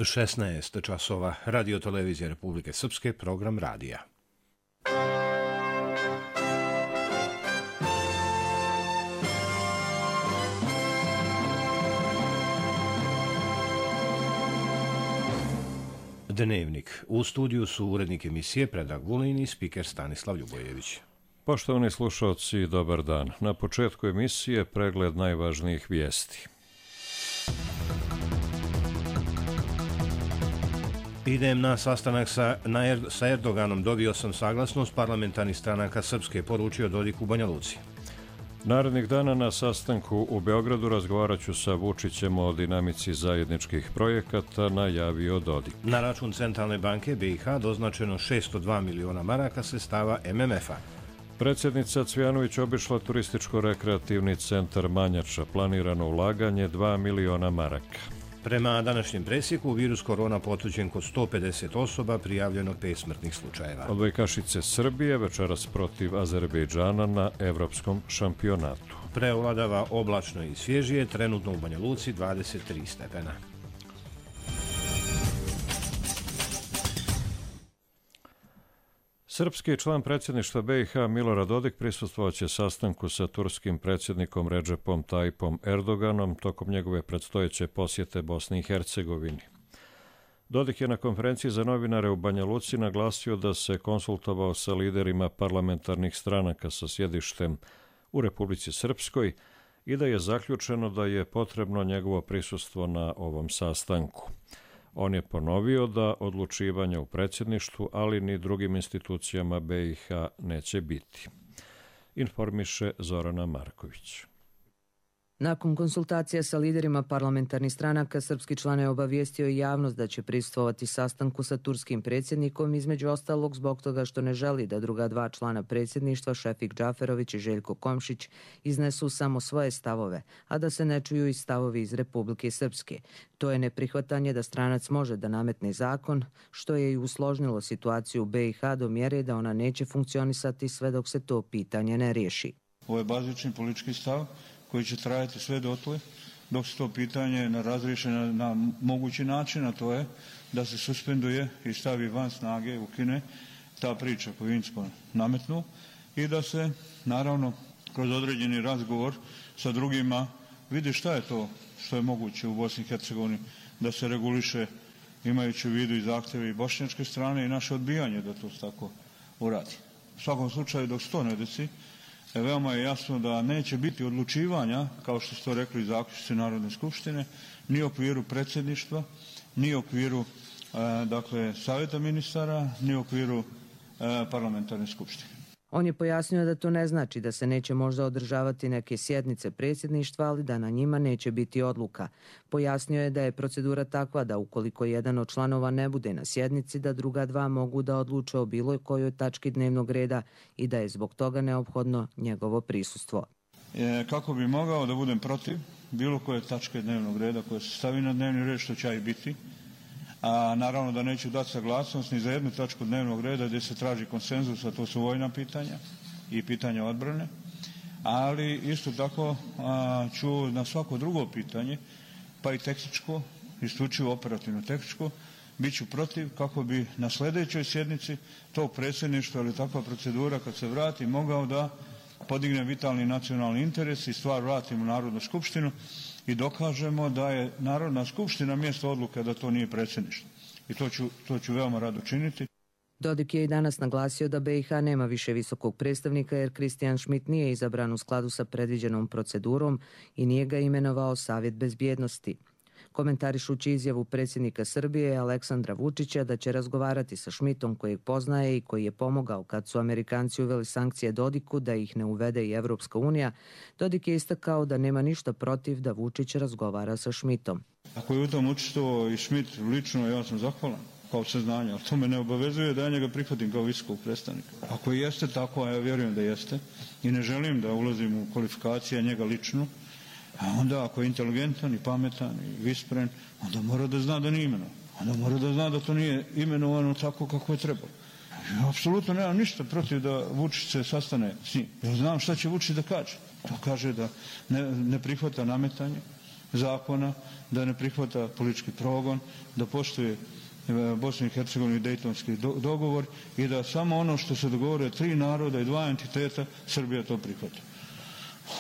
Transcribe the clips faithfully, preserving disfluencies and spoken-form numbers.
šesnaest časova, Radio Televizija Republike Srpske, program radija. Dnevnik. U studiju su urednik emisije Predrag Vulin i spiker Stanislav Ljubojević. Poštovani slušalci, dobar dan. Na početku emisije pregled najvažnijih vijesti. Idem na sastanak sa, na er, sa Erdoganom. Dobio sam saglasnost parlamentarnih stranaka Srpske, poručio Dodik u Banja Luci. Narednih dana na sastanku u Beogradu razgovarat ću sa Vučićem o dinamici zajedničkih projekata, najavio Dodik. Na račun Centralne banke B i H doznačeno šesto dva miliona maraka sredstava M M F-a. Predsjednica Cvijanović obišla turističko-rekreativni centar Manjača, planirano ulaganje dva miliona maraka. Prema današnjem presjeku, virus korona potvrđen kod sto pedeset osoba, prijavljeno pet smrtnih slučajeva. Odbojkašice Srbije večeras protiv Azerbejdžana na evropskom šampionatu. Preovladava oblačno i svježije, trenutno u Banja Luci dvadeset tri stepena. Srpski član predsjedništva B i H Milorad Dodik prisustvovaće sastanku sa turskim predsjednikom Redžepom Tayyipom Erdoganom tokom njegove predstojeće posjete Bosni i Hercegovini. Dodik je na konferenciji za novinare u Banja Luci naglasio da se konsultovao sa liderima parlamentarnih stranaka sa sjedištem u Republici Srpskoj i da je zaključeno da je potrebno njegovo prisustvo na ovom sastanku. On je ponovio da odlučivanja u predsjedništvu, ali ni drugim institucijama B i H neće biti. Informiše Zorana Marković. Nakon konsultacija sa liderima parlamentarnih stranaka, srpski član je obavijestio i javnost da će prisustvovati sastanku sa turskim predsjednikom, između ostalog zbog toga što ne želi da druga dva člana predsjedništva, Šefik Džaferović i Željko Komšić, iznesu samo svoje stavove, a da se ne čuju i stavovi iz Republike Srpske. To je neprihvatanje da stranac može da nametne zakon, što je i usložnilo situaciju u B i H do mjere da ona neće funkcionisati sve dok se to pitanje ne riješi. Ovo je bazični politički stav koji će trajati sve dotle dok se to pitanje ne razriješi na, na mogući način, a to je da se suspenduje i stavi van snage, ukine ta priča koju je Incko nametnuo i da se naravno kroz određeni razgovor sa drugima vidi šta je to što je moguće u Bosni i Hercegovini da se reguliše, imajući u vidu i zahtjeve i bošnjačke strane i naše odbijanje da to tako uradi. U svakom slučaju dok se to ne desi, veoma je jasno da neće biti odlučivanja, kao što su to rekli zaključci Narodne skupštine, ni u okviru predsjedništva, ni u okviru e, dakle, savjeta ministara, ni u okviru e, parlamentarne skupštine. On je pojasnio da to ne znači da se neće možda održavati neke sjednice predsjedništva, ali da na njima neće biti odluka. Pojasnio je da je procedura takva da ukoliko jedan od članova ne bude na sjednici, da druga dva mogu da odluče o bilo kojoj tački dnevnog reda i da je zbog toga neophodno njegovo prisustvo. E, kako bi mogao da budem protiv bilo koje tačke dnevnog reda koje se stavi na dnevni red, što će i biti, a naravno da neću dati saglasnost ni za jednu tačku dnevnog reda gdje se traži konsenzus, a to su vojna pitanja i pitanja odbrane, ali isto tako a, ću na svako drugo pitanje, pa i tehničko, isključivo operativno tehničko, bit ću protiv kako bi na sljedećoj sjednici tog predsjedništva ili takva procedura kad se vrati mogao da podigne vitalni nacionalni interes i stvar vratimo u Narodnu skupštinu i dokažemo da je Narodna skupština mjesto odluke, da to nije predsjedništvo. I to ću, to ću veoma rado činiti. Dodik je i danas naglasio da B i H nema više visokog predstavnika jer Kristijan Šmit nije izabran u skladu sa predviđenom procedurom i nije ga imenovao Savjet bezbjednosti. Komentarišući izjavu predsjednika Srbije Aleksandra Vučića da će razgovarati sa Šmitom kojeg poznaje i koji je pomogao kad su Amerikanci uveli sankcije Dodiku da ih ne uvede i Evropska unija, Dodik je istakao da nema ništa protiv da Vučić razgovara sa Šmitom. Ako je u tom učestvovao i Šmit lično, ja sam zahvalan kao saznanje, ali to me ne obavezuje da ja njega prihvatim kao visokog predstavnika. Ako jeste tako, a ja vjerujem da jeste, i ne želim da ulazim u kvalifikacije njega lično, a onda ako je inteligentan i pametan i vispren, onda mora da zna da nije imenovan. Onda mora da zna da to nije imenovano tako kako je trebalo. Ja apsolutno nemam ništa protiv da Vučić se sastane s njim. Ja znam šta će Vučić da kaže. To kaže da ne, ne prihvata nametanje zakona, da ne prihvata politički progon, da poštuje Bosnu i Hercegovinu i Dejtonski dogovor i da samo ono što se dogovore tri naroda i dva entiteta, Srbija to prihvata.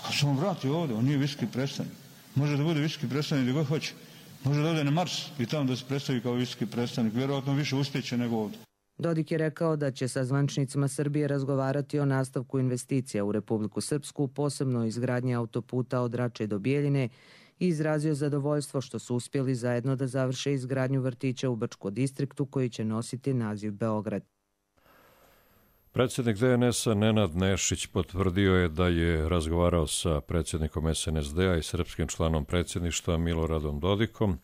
Kad se on vrati ovdje, on nije visoki predstavnik. Može da bude visoki predstavnik gdje god hoće. Može da ode na Mars i tamo da se predstavi kao visoki predstavnik. Vjerojatno više uspjeće nego ovdje. Dodik je rekao da će sa zvaničnicima Srbije razgovarati o nastavku investicija u Republiku Srpsku, posebno o izgradnji autoputa od Rače do Bijeljine, i izrazio zadovoljstvo što su uspjeli zajedno da završe izgradnju vrtića u Brčko distriktu koji će nositi naziv Beograd. Predsjednik D N S-a Nenad Nešić potvrdio je da je razgovarao sa predsjednikom S N S D-a i srpskim članom predsjedništva Miloradom Dodikom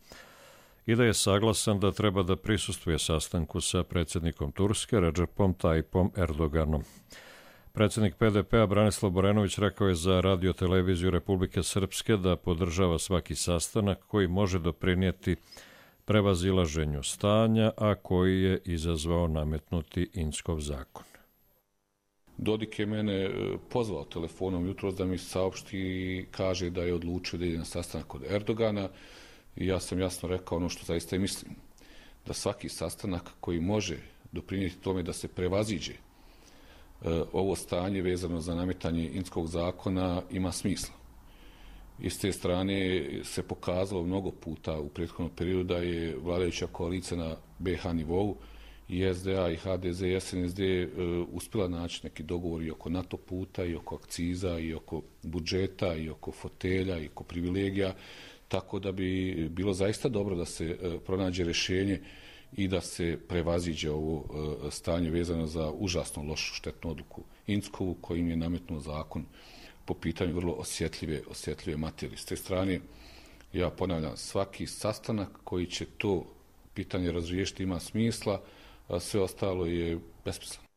i da je saglasan da treba da prisustvuje sastanku sa predsjednikom Turske Redžepom Tajipom Erdoganom. Predsjednik P D P-a Branislav Borenović rekao je za radio-televiziju Republike Srpske da podržava svaki sastanak koji može doprinijeti prevazilaženju stanja, a koji je izazvao nametnuti Inckov zakon. Dodik je mene pozvao telefonom jutros da mi saopšti i kaže da je odlučio da ide na sastanak kod Erdogana i ja sam jasno rekao ono što zaista i mislim, da svaki sastanak koji može doprinijeti tome da se prevaziđe ovo stanje vezano za nametanje Inckovog zakona ima smisla. I s te strane se pokazalo mnogo puta u prethodnom periodu da je vladajuća koalicija na B H nivou i S D A i H D Z i S N S D uspjela naći neki dogovor i oko NATO puta i oko akciza i oko budžeta i oko fotelja i oko privilegija, tako da bi bilo zaista dobro da se pronađe rješenje i da se prevaziđe ovo stanje vezano za užasno lošu štetnu odluku Inckovu kojim je nametnuo zakon po pitanju vrlo osjetljive, osjetljive materije. S te strane, ja ponavljam, svaki sastanak koji će to pitanje razriješiti ima smisla, a sve ostalo je besmisleno.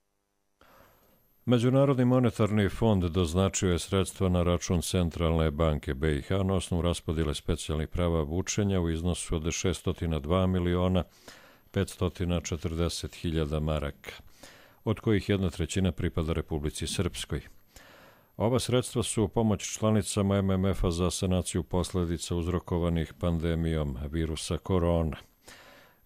Međunarodni monetarni fond doznačio je sredstva na račun Centralne banke B i H na osnovu raspodjele specijalnih prava vučenja u iznosu od šesto dva miliona petsto četrdeset hiljada maraka, od kojih jedna trećina pripada Republici Srpskoj. Ova sredstva su pomoć članicama M M F-a za sanaciju posljedica uzrokovanih pandemijom virusa korona.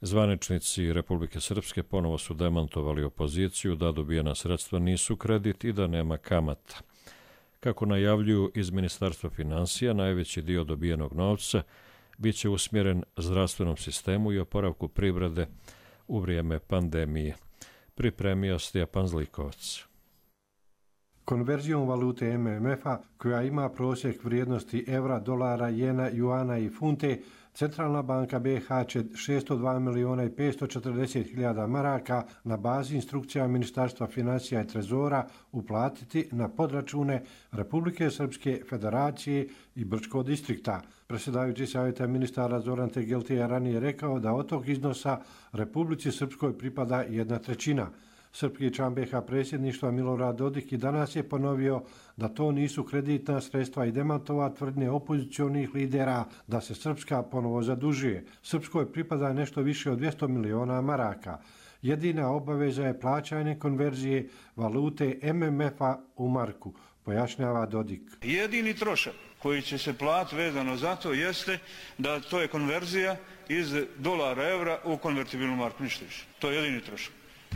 Zvaničnici Republike Srpske ponovo su demantovali opoziciju da dobijena sredstva nisu kredit i da nema kamata. Kako najavljuju iz Ministarstva finansija, najveći dio dobijenog novca bit će usmjeren zdravstvenom sistemu i oporavku privrede u vrijeme pandemije. Pripremio Stjepan Zlikovac. Konverzijom valute M M F-a, koja ima prosjek vrijednosti evra, dolara, jena, juana i funte, Centralna banka B H će šesto dva miliona i petsto četrdeset hiljada maraka na bazi instrukcija Ministarstva financija i trezora uplatiti na podračune Republike Srpske, Federacije i Brčkog distrikta. Predsjedavajući savjeta ministara Zoran Tegelti je ranije rekao da od tog iznosa Republici Srpskoj pripada jedna trećina. Srpski član B H predsjedništva Milorad Dodik i danas je ponovio da to nisu kreditna sredstva i demantova tvrdnje opozicionih lidera da se Srpska ponovo zadužuje. Srpskoj pripada nešto više od dvjesto miliona maraka. Jedina obaveza je plaćanje konverzije valute M M F-a u marku, pojašnjava Dodik. Jedini trošak koji će se platiti vezano za to jeste da to je konverzija iz dolara evra u konvertibilnu marku, ništa više. To je jedini trošak.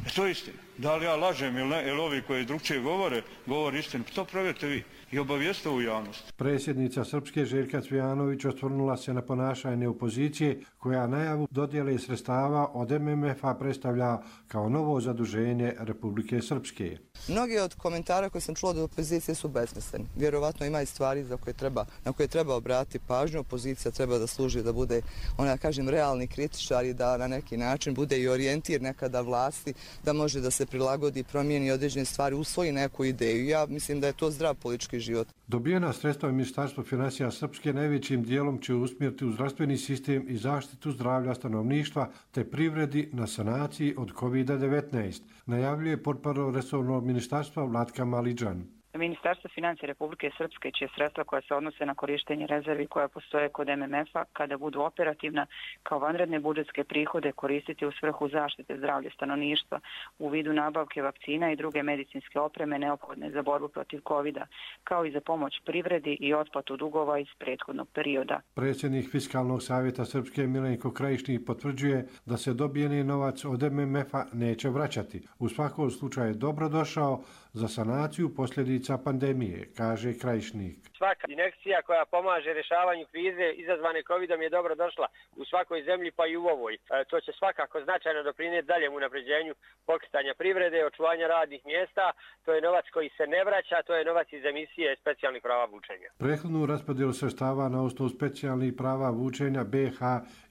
E to je istina. Da li ja lažem ili ne, ili ovi koji drugčije govore, govori istinu. To provjerite vi i obavijeste u javnost. Predsjednica Srpske Željka Cvijanović osvrnula se na ponašanje opozicije koja najavu dodjele sredstava od M M F-a predstavlja kao novo zaduženje Republike Srpske. Mnogi od komentara koje sam čula od opozicije su besmisleni. Vjerovatno ima i stvari za koje treba, na koje treba obratiti pažnju. Opozicija treba da služi da bude, ona kažem, realni kritičar i da na neki način bude i orijentir nekada vlasti, da može da se prilagodi, promijeni određene stvari, usvoji neku ideju. Ja mislim da je to zdrav politički život. Dobijena sredstva u Ministarstvu financija Srpske najvećim dijelom će usmjeriti u zdravstveni sistem i zaštitu zdravlja stanovništva te privredi na sanaciji od kovid devetnaest, najavljuje portparol resornog ministarstva Vlatka Maliđan. Ministarstvo financija Republike Srpske će sredstva koja se odnose na korištenje rezervi koja postoje kod M M F-a kada budu operativna kao vanredne budžetske prihode koristiti u svrhu zaštite zdravlja stanovništva u vidu nabavke vakcina i druge medicinske opreme neophodne za borbu protiv kovida, kao i za pomoć privredi i otplatu dugova iz prethodnog perioda. Predsjednik Fiskalnog savjeta Srpske Milenko Krajišnik potvrđuje da se dobijeni novac od M M F-a neće vraćati. U svakom slučaju je dobro došao za sanaciju posljedica pandemije, kaže Krajišnik. Svaka injekcija koja pomaže rješavanju krize izazvane covidom je dobro došla u svakoj zemlji pa i u ovoj. E, to će svakako značajno doprinijeti daljem unapređenju pokretanja privrede, očuvanja radnih mjesta. To je novac koji se ne vraća, to je novac iz emisije specijalnih prava vučenja. Prethodnu raspodjelu sredstava na osnovu specijalnih prava vučenja B iH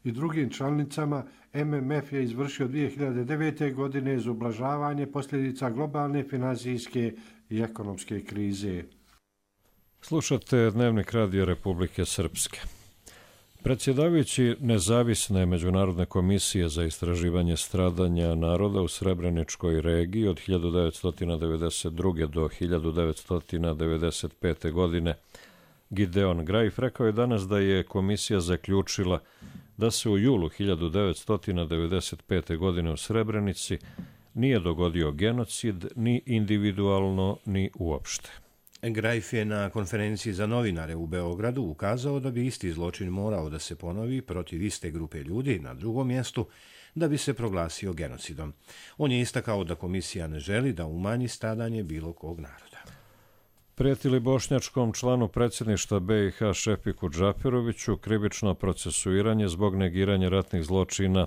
i drugim članicama M M F je izvršio dvije hiljade devete. godine za ublažavanje posljedica globalne financijske i ekonomske krize. Slušate Dnevnik Radio Republike Srpske. Predsjedavajući nezavisne Međunarodne komisije za istraživanje stradanja naroda u Srebreničkoj regiji od hiljadu devetsto devedeset druge. do hiljadu devetsto devedeset pete. godine Gideon Grajf rekao je danas da je komisija zaključila da se u julu hiljadu devetsto devedeset pete. godine u Srebrenici nije dogodio genocid ni individualno ni uopšte. Grajf je na konferenciji za novinare u Beogradu ukazao da bi isti zločin morao da se ponovi protiv iste grupe ljudi na drugom mjestu da bi se proglasio genocidom. On je istakao da komisija ne želi da umanji stradanje bilo kog naroda. Prijetili bošnjačkom članu predsjedništva B iH Šefiku Džaferoviću krivično procesuiranje zbog negiranja ratnih zločina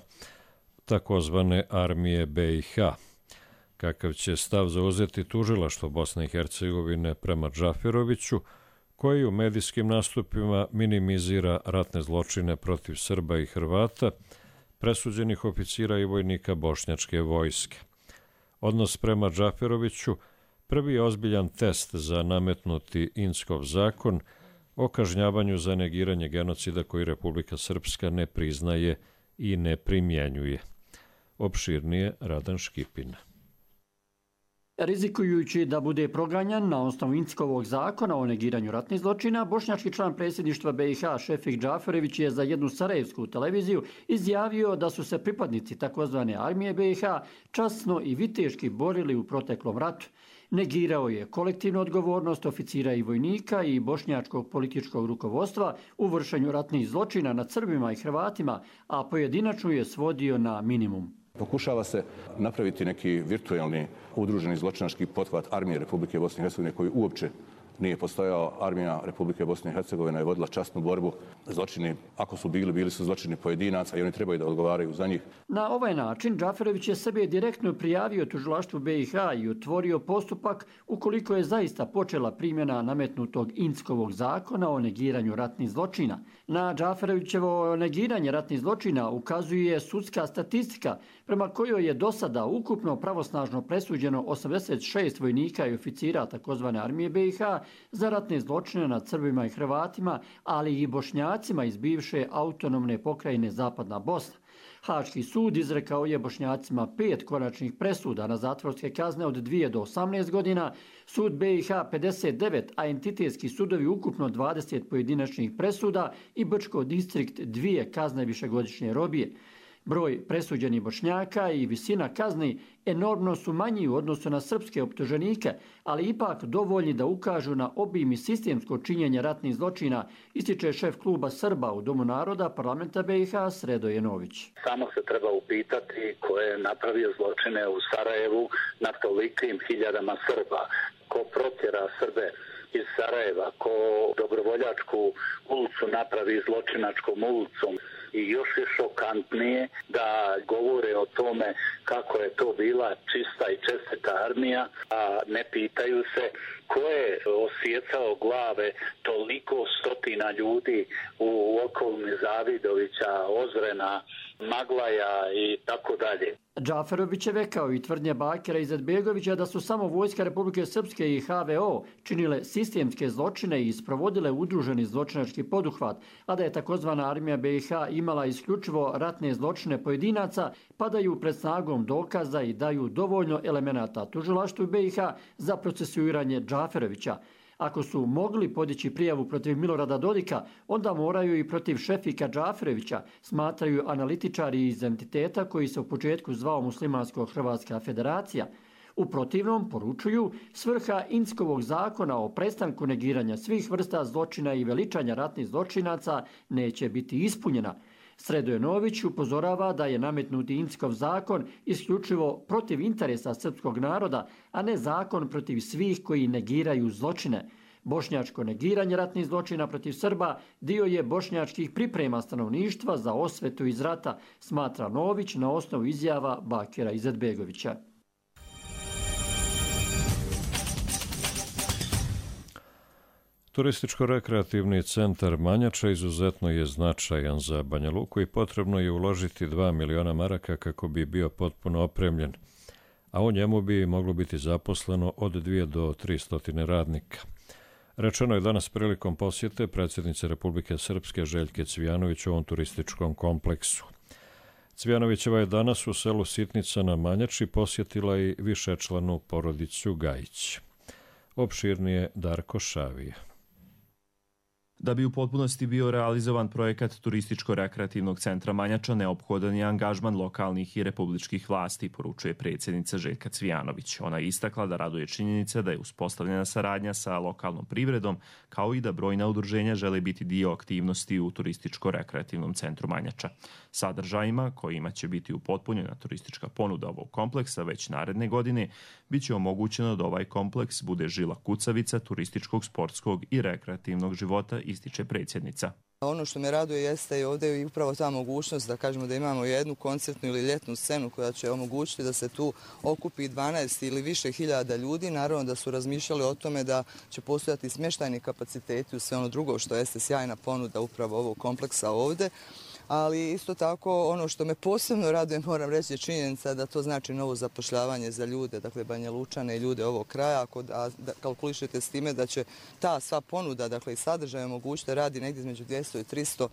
takozvane armije B iH. Kakav će stav zauzeti tužilaštvo Bosne i Hercegovine prema Džaferoviću, koji u medijskim nastupima minimizira ratne zločine protiv Srba i Hrvata, presuđenih oficira i vojnika bošnjačke vojske. Odnos prema Džaferoviću prvi je ozbiljan test za nametnuti Inckov zakon o kažnjavanju za negiranje genocida koji Republika Srpska ne priznaje i ne primjenjuje. Opširnije Radan Škipin. Rizikujući da bude proganjan na osnovu Inckovog zakona o negiranju ratnih zločina, bošnjački član predsjedništva B iH Šefik Džaferović je za jednu sarajevsku televiziju izjavio da su se pripadnici takozvane armije B iH časno i viteški borili u proteklom ratu. Negirao je kolektivnu odgovornost oficira i vojnika i bošnjačkog političkog rukovodstva u vršenju ratnih zločina nad Srbima i Hrvatima, a pojedinačno je svodio na minimum. Pokušava se napraviti neki virtualni udruženi zločinački pothvat armije Republike Bosne i Hercegovine koji uopće nije postojao. Armija Republike Bosne i Hercegovine je vodila časnu borbu. Zločini, ako su bili, bili su zločini pojedinaca i oni trebaju da odgovaraju za njih. Na ovaj način Džaferović je sebe direktno prijavio tužilaštvu B iH i otvorio postupak ukoliko je zaista počela primjena nametnutog Inckovog zakona o negiranju ratnih zločina. Na Džaferovićevo negiranje ratnih zločina ukazuje sudska statistika prema kojoj je do sada ukupno pravosnažno presuđeno osamdeset šest vojnika i oficira takozvane armije B iH za ratne zločine nad Srbima i Hrvatima, ali i Bošnjacima iz bivše autonomne pokrajine Zapadna Bosna. Haški sud izrekao je Bošnjacima pet konačnih presuda na zatvorske kazne od dvije do osamnaest godina, sud B iH pedeset devet, a entitetski sudovi ukupno dvadeset pojedinačnih presuda i Brčko distrikt dvije kazne višegodišnje robije. Broj presuđenih Bošnjaka i visina kazni enormno su manji u odnosu na srpske optuženike, ali ipak dovoljni da ukažu na obim i sistemsko činjenje ratnih zločina, ističe šef kluba Srba u Domu naroda parlamenta B iH Sredo Jenović. Samo se treba upitati ko je napravio zločine u Sarajevu na tolikim hiljadama Srba, ko protjera Srbe iz Sarajeva, ko dobrovoljačku ulicu napravi zločinačkom ulicom. I još je šokantnije da govore o tome kako je to bila čista i čestita armija, a ne pitaju se ko je osjecao glave toliko stotina ljudi u okolini Zavidovića, Ozrena, Maglaja i tako dalje. Džaferovićeve kao i tvrdnje Bakira Izetbegovića da su samo vojska Republike Srpske i H V O činile sistemske zločine i sprovodile udruženi zločinački poduhvat, a da je takozvana armija B i H imala isključivo ratne zločine pojedinaca, padaju pred snagom dokaza i daju dovoljno elemenata tužilaštvu B i H za procesuiranje Džaferovića. Ako su mogli podići prijavu protiv Milorada Dodika, onda moraju i protiv Šefika Džaferovića, smatraju analitičari iz entiteta koji se u početku zvao Muslimansko-Hrvatska federacija. U protivnom, poručuju, svrha Inckovog zakona o prestanku negiranja svih vrsta zločina i veličanja ratnih zločinaca neće biti ispunjena. Sredojenović upozorava da je nametnuti Inckov zakon isključivo protiv interesa srpskog naroda, a ne zakon protiv svih koji negiraju zločine. Bošnjačko negiranje ratnih zločina protiv Srba dio je bošnjačkih priprema stanovništva za osvetu iz rata, smatra Nović na osnovu izjava Bakira Izetbegovića. Turističko-rekreativni centar Manjača izuzetno je značajan za Banja Luku i potrebno je uložiti dva miliona maraka kako bi bio potpuno opremljen, a u njemu bi moglo biti zaposleno od dvije do tri stotine radnika. Rečeno je danas prilikom posjete predsjednice Republike Srpske Željke Cvijanović u ovom turističkom kompleksu. Cvijanovićeva je danas u selu Sitnica na Manjači posjetila i višečlanu porodicu Gajić. Opširnije Darko Šavija. Da bi u potpunosti bio realizovan projekat Turističko-rekreativnog centra Manjača, neophodan je angažman lokalnih i republičkih vlasti, poručuje predsjednica Željka Cvijanović. Ona je istakla da raduje činjenica da je uspostavljena saradnja sa lokalnom privredom, kao i da brojna udruženja žele biti dio aktivnosti u Turističko-rekreativnom centru Manjača. Sadržajima, kojima će biti upotpunjena turistička ponuda ovog kompleksa već naredne godine, bit će omogućeno da ovaj kompleks bude žila kucavica turističkog, sportskog i rekreativnog života, ističe predsjednica. Ono što me raduje jeste i ovdje i upravo ta mogućnost da kažemo da imamo jednu koncertnu ili ljetnu scenu koja će omogućiti da se tu okupi dvanaest ili više hiljada ljudi. Naravno da su razmišljali o tome da će postojati smještajni kapaciteti u sve ono drugo što jeste sjajna ponuda upravo ovog kompleksa ovdje. Ali isto tako ono što me posebno raduje, moram reći, je činjenica da to znači novo zapošljavanje za ljude, dakle Banja Lučane i ljude ovog kraja. Ako da, da kalkulišete s time da će ta sva ponuda, dakle i sadržaj omogućiti radi negdje između dvjesto i tristo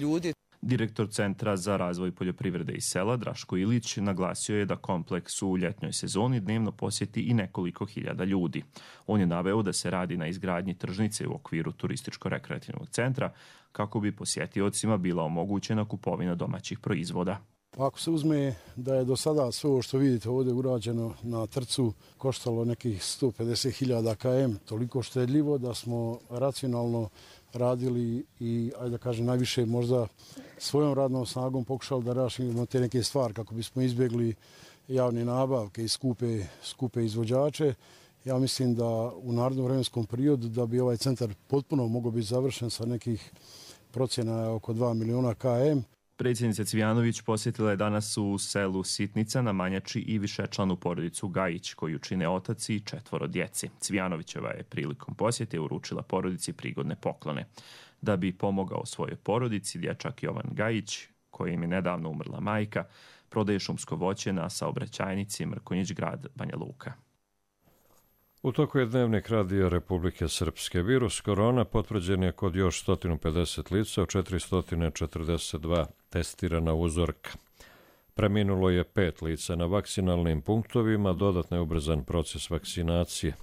ljudi. Direktor Centra za razvoj poljoprivrede i sela Draško Ilić naglasio je da kompleks u ljetnoj sezoni dnevno posjeti i nekoliko hiljada ljudi. On je naveo da se radi na izgradnji tržnice u okviru Turističko-rekreativnog centra kako bi posjetiocima bila omogućena kupovina domaćih proizvoda. Ako se uzme da je do sada sve ovo što vidite ovdje urađeno na trcu koštalo nekih sto pedeset hiljada kilometara, toliko štedljivo da smo racionalno radili i, ajde da kažem, najviše možda svojom radnom snagom pokušali da rešimo te neke stvari kako bismo izbjegli javne nabavke i skupe, skupe izvođače. Ja mislim da u narednom vremenskom periodu da bi ovaj centar potpuno mogao biti završen sa nekih procjena oko dva miliona kilometara. Predsjednica Cvijanović posjetila je danas u selu Sitnica na Manjači i višečlanu porodicu Gajić, koju čine otac i četvoro djeci. Cvijanovićeva je prilikom posjete uručila porodici prigodne poklone. Da bi pomogao svojoj porodici, dječak Jovan Gajić, kojim je nedavno umrla majka, prodaje šumsko voće na saobraćajnici Mrkonjić grad Banja Luka. U toku je dnevnik Radija Republike Srpske. Virus korona potvrđen je kod još sto pedeset lica, od četiristo četrdeset dva testirana uzorka. Preminulo je pet lica na vakcinalnim punktovima, dodatno je ubrzan proces vakcinacije.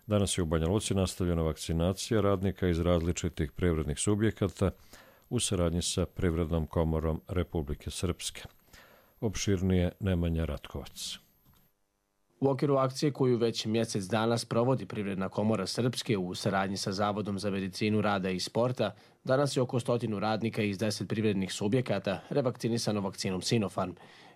Danas je u Banja Luci nastavljena vakcinacija radnika iz različitih privrednih subjekata u saradnji sa Privrednom komorom Republike Srpske. Opširnije Nemanja Ratkovac. U okviru akcije koju već mjesec dana sprovodi Privredna komora Srpske u saradnji sa Zavodom za medicinu rada i sporta, danas je oko stotinu radnika iz deset privrednih subjekata revakcinisano vakcinom Sinopharm.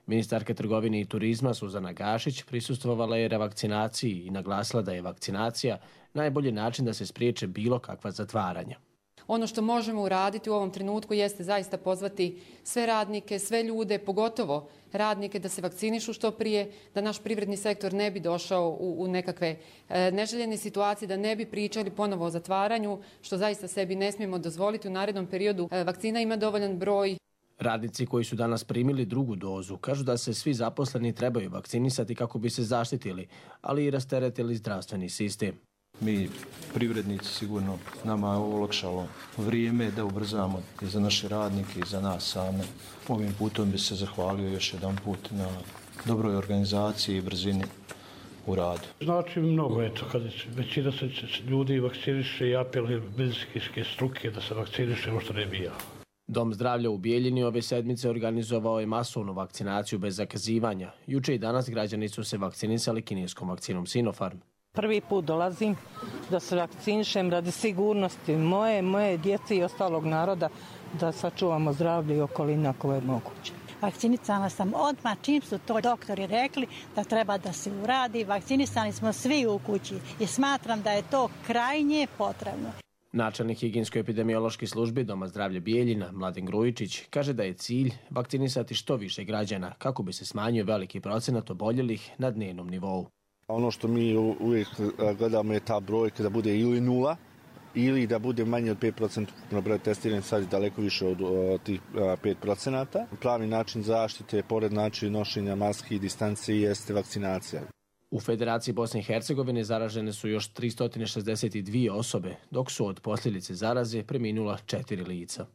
Ministarka trgovine i turizma Suzana Gašić prisustvovala je revakcinaciji i naglasila da je vakcinacija najbolji način da se spriječe bilo kakva zatvaranja. Ono što možemo uraditi u ovom trenutku jeste zaista pozvati sve radnike, sve ljude, pogotovo radnike da se vakcinišu što prije, da naš privredni sektor ne bi došao u, u nekakve e, neželjene situacije, da ne bi pričali ponovo o zatvaranju, što zaista sebi ne smijemo dozvoliti u narednom periodu. E, vakcina ima dovoljan broj. Radnici koji su danas primili drugu dozu kažu da se svi zaposleni trebaju vakcinisati kako bi se zaštitili, ali i rasteretili zdravstveni sistem. Mi, privrednici, sigurno nama je ovo olakšalo vrijeme da ubrzamo i za naše radnike i za nas same. Ovim putom bi se zahvalio još jedan put na dobroj organizaciji i brzini u radu. Znači mnogo, eto, kad većina se ljudi vakciniše i apeluje medicinske struke da se vakciniše, možda ne bi ja. Dom zdravlja u Bijeljini ove sedmice organizovao je masovnu vakcinaciju bez zakazivanja. Juče i danas građani su se vakcinisali kineskom vakcinom Sinopharm. Prvi put dolazim da se vakcinišem radi sigurnosti moje, moje djece i ostalog naroda, da sačuvamo zdravlje i okolina koje je moguće. Vakcinisana sam odmah, čim su to doktori rekli da treba da se uradi. Vakcinisani smo svi u kući i smatram da je to krajnje potrebno. Načelnik higijensko-epidemiološke službe Doma zdravlja Bijeljina, Mladen Grujičić, kaže da je cilj vakcinisati što više građana kako bi se smanjio veliki procenat oboljelih na dnevnom nivou. Ono što mi uvijek gledamo je ta brojka da bude ili nula ili da bude manje od pet procenta na broj testiranih, sad je daleko više od, od tih pet procenta. Pravi način zaštite, pored načina nošenja maski i distancije, jeste vakcinacija. U Federaciji Bosne i Hercegovine zaražene su još tristo šezdeset dvije osobe, dok su od posljedice zaraze preminula četiri lica.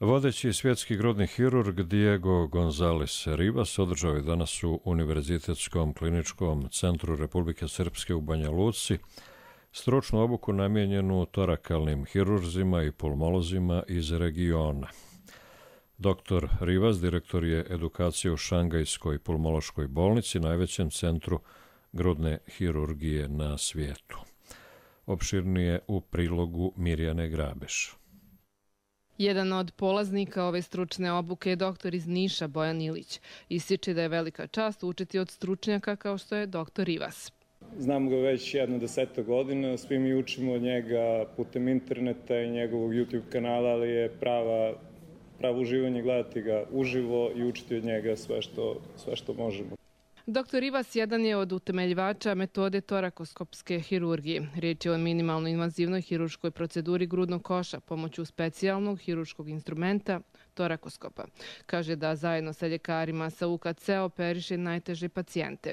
Vodeći svjetski grudni hirurg Diego González Rivas održao je danas u Univerzitetskom kliničkom centru Republike Srpske u Banja Luci stručnu obuku namijenjenu torakalnim hirurzima i pulmolozima iz regiona. Doktor Rivas direktor je edukacije u Šangajskoj pulmološkoj bolnici, najvećem centru grudne hirurgije na svijetu. Opširnije u prilogu Mirjane Grabeš. Jedan od polaznika ove stručne obuke je doktor iz Niša Bojan Ilić. Ističe da je velika čast učiti od stručnjaka kao što je doktor Rivas. Znam ga već jedno deseto godina, svi mi učimo od njega putem interneta i njegovog YouTube kanala, ali je prava, pravo uživanje gledati ga uživo i učiti od njega sve što, sve što možemo. doktor Rivas jedan je od utemeljivača metode torakoskopske hirurgije. Riječ je o minimalno invazivnoj hirurškoj proceduri grudnog koša pomoću specijalnog hirurškog instrumenta torakoskopa. Kaže da zajedno sa ljekarima sa U K C operiše najteže pacijente.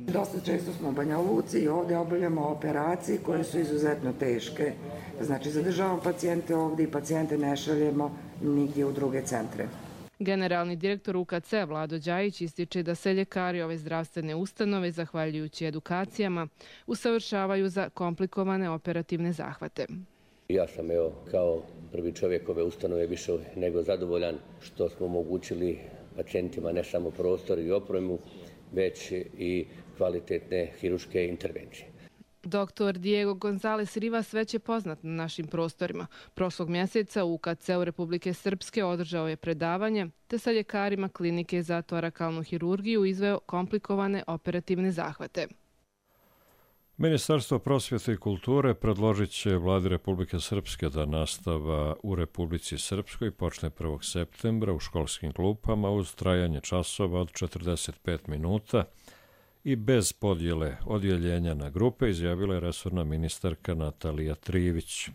Dosta često smo u Banja Luci i ovdje obavljamo operacije koje su izuzetno teške. Znači zadržavamo pacijente ovdje i pacijente ne šaljemo nigdje u druge centre. Generalni direktor U K C Vlado Đajić ističe da se ljekari ove zdravstvene ustanove, zahvaljujući edukacijama, usavršavaju za komplikovane operativne zahvate. Ja sam evo, kao prvi čovjek ove ustanove više nego zadovoljan što smo omogućili pacijentima ne samo prostor i opremu, već i kvalitetne hirurške intervencije. doktor Diego González Rivas već je poznat na našim prostorima. Prošlog mjeseca u U K C-u Republike Srpske održao je predavanje, te sa ljekarima klinike za torakalnu hirurgiju izveo komplikovane operativne zahvate. Ministarstvo prosvjete i kulture predložit će Vladi Republike Srpske da nastava u Republici Srpskoj počne prvog septembra u školskim klupama uz trajanje časova od četrdeset pet minuta i bez podjele odjeljenja na grupe, izjavila je resorna ministarka Natalija Trivić.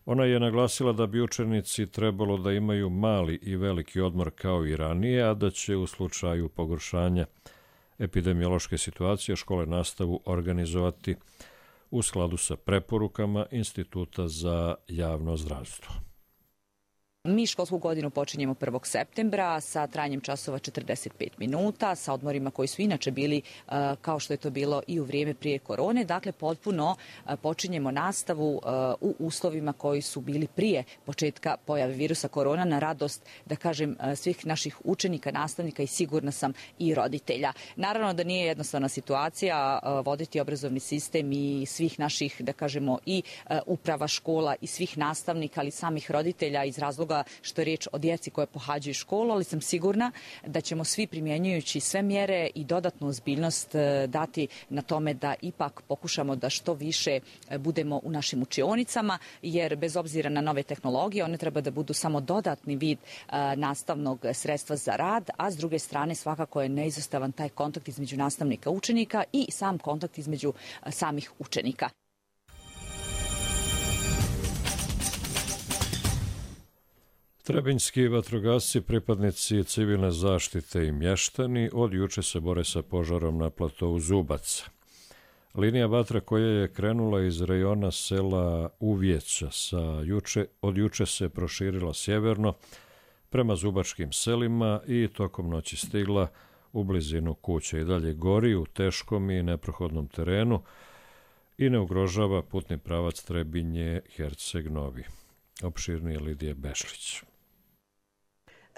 Ona je naglasila da bi učenici trebalo da imaju mali i veliki odmor kao i ranije, a da će u slučaju pogoršanja epidemiološke situacije škole nastavu organizovati u skladu sa preporukama Instituta za javno zdravstvo. Mi školsku godinu počinjemo prvog septembra sa trajanjem časova četrdeset pet minuta, sa odmorima koji su inače bili kao što je to bilo i u vrijeme prije korone. Dakle, potpuno počinjemo nastavu u uslovima koji su bili prije početka pojave virusa korona, na radost, da kažem, svih naših učenika, nastavnika i sigurna sam i roditelja. Naravno da nije jednostavna situacija voditi obrazovni sistem i svih naših, da kažemo, i uprava škola i svih nastavnika, ali samih roditelja iz razloga što je riječ o djeci koje pohađaju školu, ali sam sigurna da ćemo svi primjenjujući sve mjere i dodatnu ozbiljnost dati na tome da ipak pokušamo da što više budemo u našim učionicama, jer bez obzira na nove tehnologije, one treba da budu samo dodatni vid nastavnog sredstva za rad, a s druge strane svakako je neizostavan taj kontakt između nastavnika i učenika i sam kontakt između samih učenika. Trebinjski vatrogasci, pripadnici civilne zaštite i mještani od juče se bore sa požarom na platovu Zubac. Linija vatre koja je krenula iz rejona sela Uvjeća sa juče, od juče se proširila sjeverno prema zubačkim selima i tokom noći stigla u blizinu kuće. I dalje gori u teškom i neprohodnom terenu i ne ugrožava putni pravac Trebinje-Herceg-Novi. Opširnije Lidije Bešlić.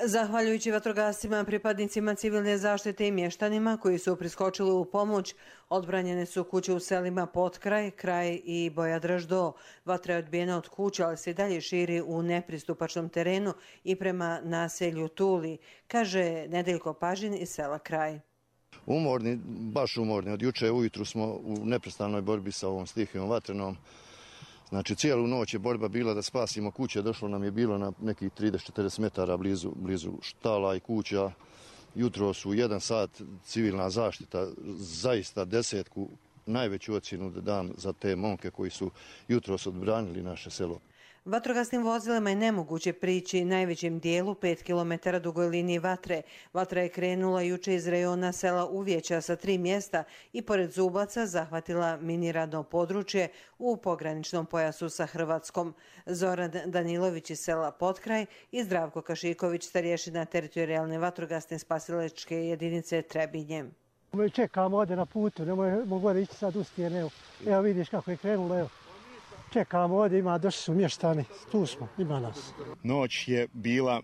Zahvaljujući vatrogascima, pripadnicima civilne zaštite i mještanima koji su priskočili u pomoć, odbranjene su kuće u selima Potkraj, Kraj i Bojadraždo. Vatra je odbijena od kuća, ali se dalje širi u nepristupačnom terenu i prema naselju Tuli, kaže Nedeljko Pažin iz sela Kraj. Umorni, baš umorni. Od juče ujutru smo u neprestanoj borbi sa ovom stihijom vatrenom. Znači, cijelu noć je borba bila da spasimo kuće. Došlo nam je bilo na nekih trideset do četrdeset metara blizu, blizu štala i kuća. Jutro su u jedan sat civilna zaštita, zaista desetku, najveću ocjenu da dam za te momke koji su jutros odbranili naše selo. Vatrogasnim vozilima je nemoguće prići najvećem dijelu pet kilometara dugoj liniji vatre. Vatra je krenula juče iz rejona sela Uvjeća sa tri mjesta i pored Zubaca zahvatila miniradno područje u pograničnom pojasu sa Hrvatskom. Zoran Danilović iz sela Potkraj i Zdravko Kašiković, starješina teritorijalne vatrogasne spasilačke jedinice Trebinje. Čekamo ovdje na putu, ne mogu da ići sad u stijene. Evo, evo vidiš kako je krenulo, evo. Čekamo ovdje, ima, došli su mještani, tu smo, ima nas. Noć je bila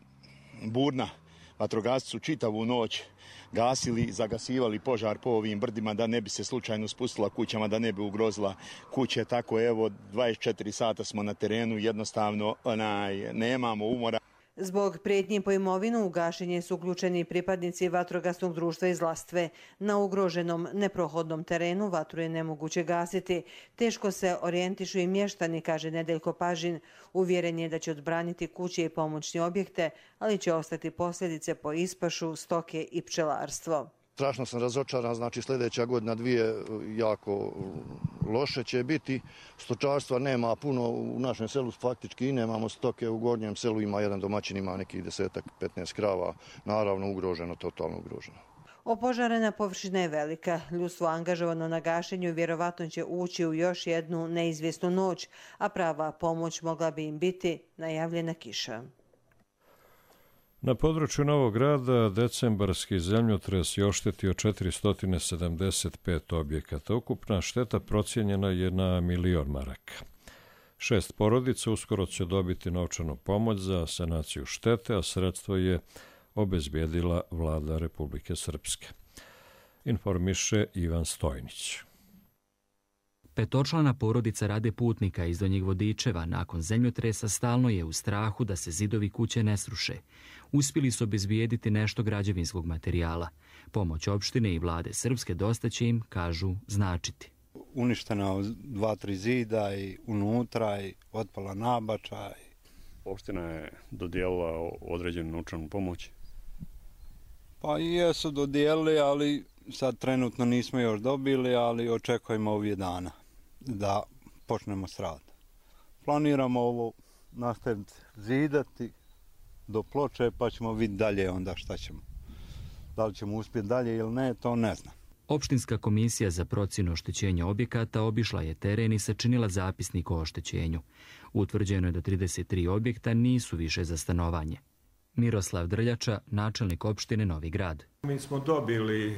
burna, vatrogasci su čitavu noć gasili, zagasivali požar po ovim brdima da ne bi se slučajno spustila kućama, da ne bi ugrozila kuće. Tako evo, dvadeset četiri sata smo na terenu, jednostavno onaj, nemamo umora. Zbog prijetnji po imovinu u gašenje su uključeni pripadnici vatrogasnog društva iz Lastve. Na ugroženom neprohodnom terenu vatru je nemoguće gasiti. Teško se orijentišu i mještani, kaže Nedeljko Pažin. Uvjeren je da će odbraniti kuće i pomoćne objekte, ali će ostati posljedice po ispašu, stoke i pčelarstvo. Strašno sam razočaran, znači sljedeća godina dvije jako loše će biti. Stočarstva nema puno u našem selu, faktički i nemamo stoke. U gornjem selu ima jedan domaćin, ima nekih desetak, petnaest krava, naravno ugroženo, totalno ugroženo. Opožarena površina je velika. Ljudstvo angažovano na gašenju vjerovatno će ući u još jednu neizvjesnu noć, a prava pomoć mogla bi im biti najavljena kiša. Na području Novog Grada decembarski zemljotres je oštetio četiristo sedamdeset pet objekata. Ukupna šteta procijenjena je na milion maraka. Šest porodica uskoro će dobiti novčanu pomoć za sanaciju štete, a sredstvo je obezbijedila vlada Republike Srpske. Informiše Ivan Stojnić. Petočlana porodica Rade Putnika iz Donjeg Vodičeva nakon zemljotresa stalno je u strahu da se zidovi kuće ne sruše. Uspjeli su obezbijediti nešto građevinskog materijala. Pomoć opštine i vlade Srpske dosta će im, kažu, značiti. Uništena dva, tri zida i unutra i otpala nabača. Opština je dodijelila određenu novčanu pomoć. Pa i jesu dodijelili, ali sad trenutno nismo još dobili, ali očekujemo ovih dana da počnemo s radom. Planiramo ovo nastaviti zidati do ploče, pa ćemo vidjeti dalje onda šta ćemo. Da li ćemo uspjeti dalje ili ne, to ne znam. Opštinska komisija za procjenu oštećenja objekata obišla je teren i sačinila zapisnik o oštećenju. Utvrđeno je da trideset tri objekta nisu više za stanovanje. Miroslav Drljača, načelnik opštine Novi Grad. Mi smo dobili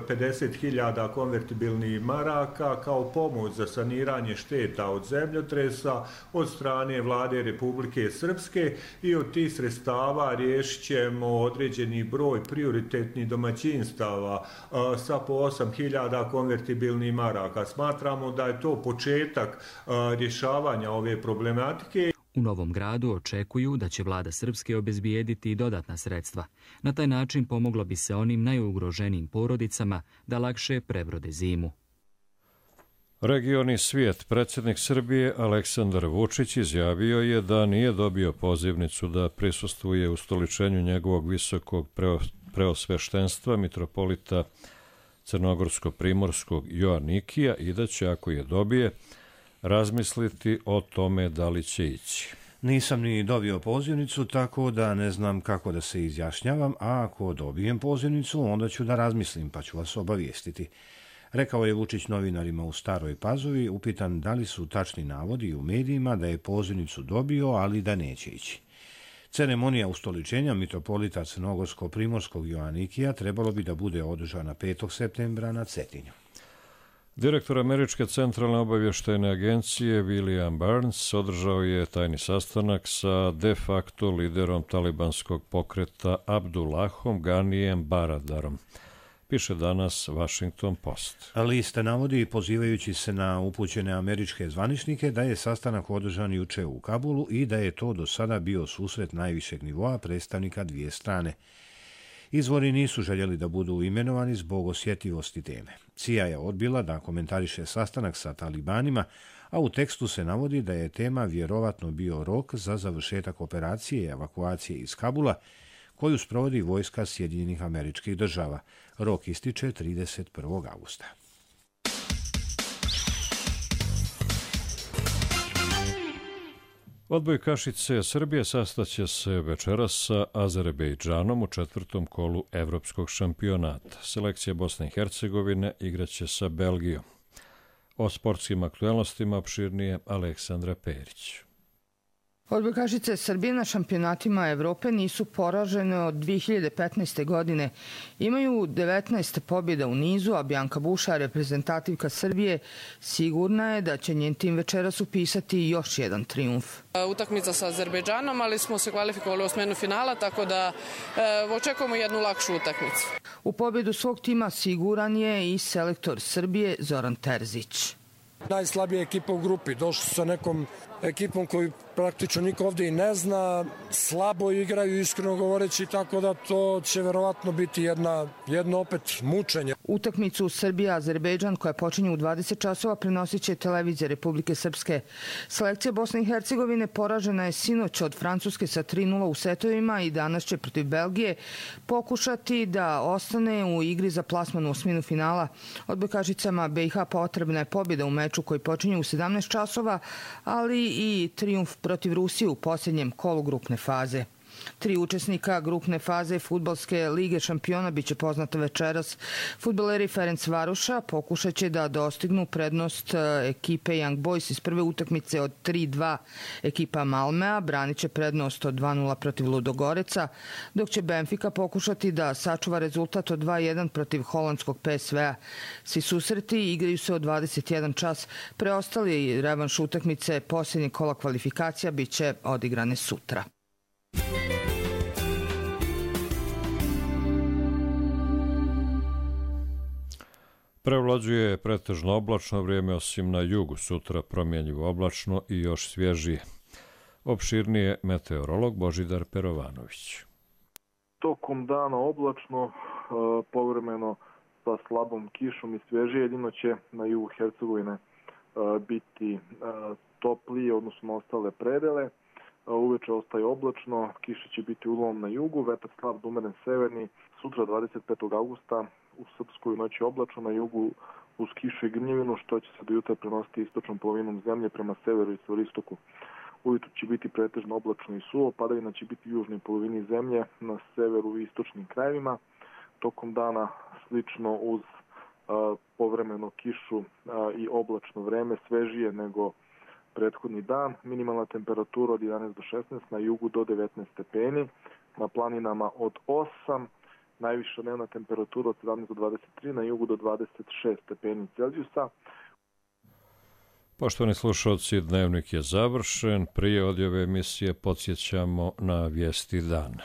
pedeset hiljada konvertibilnih maraka kao pomoć za saniranje šteta od zemljotresa od strane vlade Republike Srpske i od tih sredstava riješit ćemo određeni broj prioritetnih domaćinstava sa po osam hiljada konvertibilnih maraka. Smatramo da je to početak rješavanja ove problematike. U Novom Gradu očekuju da će vlada Srpske obezbijediti i dodatna sredstva. Na taj način pomoglo bi se onim najugroženijim porodicama da lakše prebrode zimu. Regioni svijet, predsjednik Srbije Aleksandar Vučić izjavio je da nije dobio pozivnicu da prisustvuje ustoličenju njegovog visokog preosveštenstva mitropolita Crnogorsko-Primorskog Joanikija i da će, ako je dobije, razmisliti o tome da li će ići. Nisam ni dobio pozivnicu, tako da ne znam kako da se izjašnjavam, a ako dobijem pozivnicu, onda ću da razmislim, pa ću vas obavijestiti. Rekao je Vučić novinarima u Staroj Pazovi, upitan da li su tačni navodi u medijima da je pozivnicu dobio, ali da neće ići. Ceremonija ustoličenja mitropolita Crnogorsko-Primorskog Joanikija trebalo bi da bude održana petog septembra na Cetinju. Direktor Američke centralne obavještajne agencije William Burns održao je tajni sastanak sa de facto liderom talibanskog pokreta Abdullahom Ganijem Baradarom. Piše danas Washington Post. Lista navodi, pozivajući se na upućene američke zvaničnike, da je sastanak održan juče u Kabulu i da je to do sada bio susret najvišeg nivoa predstavnika dvije strane. Izvori nisu željeli da budu imenovani zbog osjetljivosti teme. C I A je odbila da komentariše sastanak sa talibanima, a u tekstu se navodi da je tema vjerovatno bio rok za završetak operacije i evakuacije iz Kabula, koju sprovodi vojska Sjedinjenih Američkih Država. Rok ističe trideset prvog avgusta. Odbojkašice Srbije sastaće se večeras sa Azerbejdžanom u četvrtom kolu evropskog šampionata. Selekcija Bosne i Hercegovine igraće sa Belgijom. O sportskim aktuelnostima opširnije Aleksandra Perić. Odbojkašice Srbije na šampionatima Evrope nisu poražene od dvije hiljade petnaeste. godine. Imaju devetnaest pobjeda u nizu, a Bjanka Buša, reprezentativka Srbije, sigurna je da će njen tim večeras upisati još jedan trijumf. Utakmica sa Azerbejdžanom, ali smo se kvalifikovali u osminu finala, tako da e, očekujemo jednu lakšu utakmicu. U pobjedu svog tima siguran je i selektor Srbije Zoran Terzić. Najslabija ekipa u grupi. Došli su sa nekom ekipom koju praktično niko ovdje i ne zna. Slabo igraju, iskreno govoreći, tako da to će verovatno biti jedna, jedno opet mučenje. Utakmicu Srbija-Azerbejdžan koja počinje u dvadeset časova prenosit će televizija Republike Srpske. Selekcija Bosne i Hercegovine poražena je sinoć od Francuske sa tri nula u setovima i danas će protiv Belgije pokušati da ostane u igri za plasman u osminu finala. Odbojkašicama B i H potrebna je pobjeda u meču koji počinje u sedamnaest časova, ali i trijumf protiv Rusije u posljednjem kolu grupne faze. Tri učesnika grupne faze Fudbalske lige šampiona biće poznata večeras. Fudbaleri Ferencvaroša pokušat će da dostignu prednost ekipe Young Boys iz prve utakmice od tri dva. Ekipa Malmea branit će prednost od dva nula protiv Ludogoreca, dok će Benfica pokušati da sačuva rezultat od dva jedan protiv holandskog P S V-a. Svi susreti igraju se od dvadeset jedan čas. Preostali revanš utakmice posljednjeg kola kvalifikacija biće odigrane sutra. Prevlađuje pretežno oblačno vrijeme, osim na jugu, sutra promjenjivo oblačno i još svježije. Opširnije meteorolog Božidar Perovanović. Tokom dana oblačno, povremeno sa slabom kišom i svježije, jedino će na jugu Hercegovine biti toplije, odnosno na ostale predele. Uveče ostaje oblačno, kiša će biti uglavnom na jugu, vetar slab do umeren severni. Sutra dvadeset petog avgusta u Srpskoj noći oblačno, na jugu uz kišu i grmljevinu, što će se do jutra prenositi istočnom polovinom zemlje prema severu i severistoku. Ujutro će biti pretežno oblačno i suvo, padavina će biti u južnoj polovini zemlje, na severu i istočnim krajevima. Tokom dana slično uz a, povremeno kišu a, i oblačno vreme, svežije nego prethodni dan. Minimalna temperatura od jedanaest do šesnaest, na jugu do devetnaest stepeni, na planinama od osam, najviša dnevna temperatura od sedamnaest do dvadeset tri, na jugu do dvadeset šest stepeni Celzijusa. Poštovani slušalci, dnevnik je završen. Prije odjave emisije podsjećamo na vijesti dana.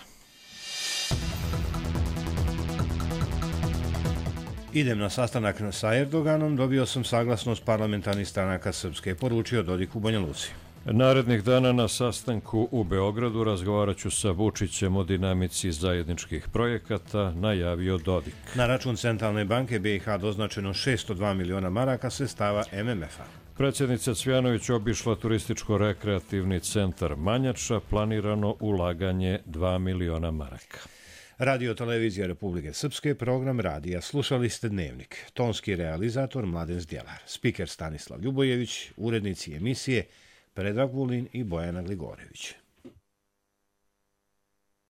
Idem na sastanak sa Erdoganom, dobio sam saglasnost parlamentarnih stranaka Srpske, poručio Dodik u Banja Luci. Narednih dana na sastanku u Beogradu razgovarat ću sa Vučićem o dinamici zajedničkih projekata, najavio Dodik. Na račun Centralne banke B i H doznačeno šesto dva miliona maraka sredstava M M F-a. Predsjednica Cvjanović obišla turističko-rekreativni centar Manjača, planirano ulaganje dva miliona maraka. Radio televizija Republike Srpske, program radija. Slušali ste Dnevnik. Tonski realizator Mladen Zdjelar, spiker Stanislav Ljubojević, urednici emisije Predrag Vulin i Bojana Gligorević.